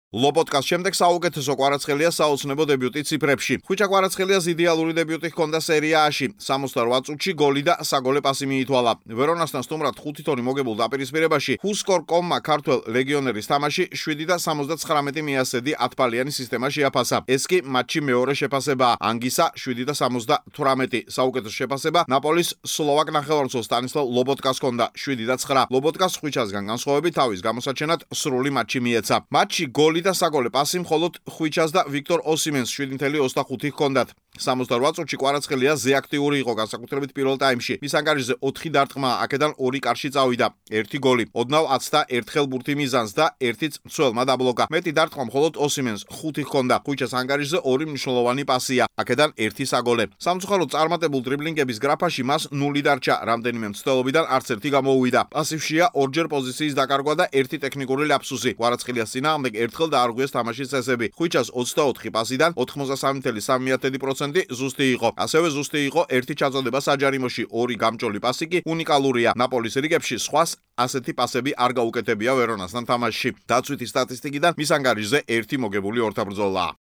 ლობოტკას შემდეგ საუკეთესო კვარაცხელია საოცნებო დებიუტი ციფრებში. ხვიჩა კვარაცხელიას იდეალური დებიუტი ჰქონდა სერია A-ში. 68 წუთში გოლი და საგოლე პასი მიითვალა. ვერონასთან სტუმრად 5 თონი მოგებულ დაპირისპირებაში Whoscore.com-მა ქართველ ლეგიონერის თამაში 7.79 მიასედი 10-ბალიანი სისტემა შეაფასა. ეს კი მატჩი მეორე შეფასებაა. ანგისა 7.78. საუკეთესო შეფასება ნაპოლის სლოვაკ ნახევარმცველ სტანისლავ ლობოტკას ჰქონდა 7.9. ლობოტკას ხვიჩასგან განსხვავებით თავის გამოსაჩენად სრული მატჩი მიეცა. მატჩი გოლი და საგოლე პასი მხოლოდ ხვიჩას და ვიქტორ ოსიმენს 7.25 ჰქონდათ. 68 წუთში კვარაცხელია ზეაქტიური იყო განსაკუთრებით პირველ ტაიმში. მის ანგარიშზე 4 დარტყმა, აქედან 2 კარში წავიდა, 1 გოლი. ოდნავ 21 ბურთი მიზანს და 1 მცველმა დაბლოკა. მეტი დარტყმა მხოლოდ ოსიმენს 5 ჰქონდა. ხვიჩას ანგარიშზე 2 მნიშვნელოვანი პასია, აქედან 1 საგოლე. სამწუხაროდ წარმატებულ დრიბლინგების გრაფაში მას 0 დარჩა, რამდენიმე მცდელობიდან არც ერთი გამოუვიდა. პასივშია ორჯერ პოზიციის დაკარგვა და 1 ტექნიკური ляпსუსი. კვარაცხელიას წინააღმდეგ ერთხელ დაარღვიეს თამაშის წესები. ხვიჩას 24 პასიდან 83.3% ზუსტი იყო. ასევე ზუსტი იყო 1 ჩაწოდება საჯარიმოში, 2 გამჭოლი პასი კი უნიკალურია. ნაპოლის რიგებში სხვას ასეთი პასები არ გაუკეთებია ვერონასთან თამაშში. დაცვითი სტატისტიკიდან მის ანგარიშზე 1 მოგებული ორთაბრძოლა.